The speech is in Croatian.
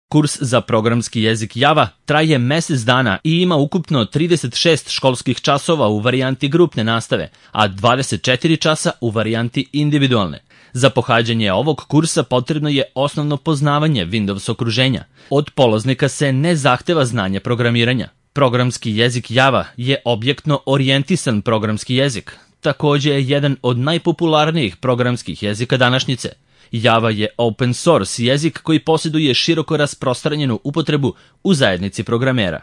Kurs za programski jezik Java traje mjesec dana i ima ukupno 36 školskih časova u varijanti grupne nastave, a 24 časa u varijanti individualne. Za pohađanje ovog kursa potrebno je osnovno poznavanje Windows okruženja. Od polaznika se ne zahteva znanje programiranja. Programski jezik Java je objektno orijentisan programski jezik. Također je jedan od najpopularnijih programskih jezika današnjice. Java je open source jezik koji posjeduje široko rasprostranjenu upotrebu u zajednici programera.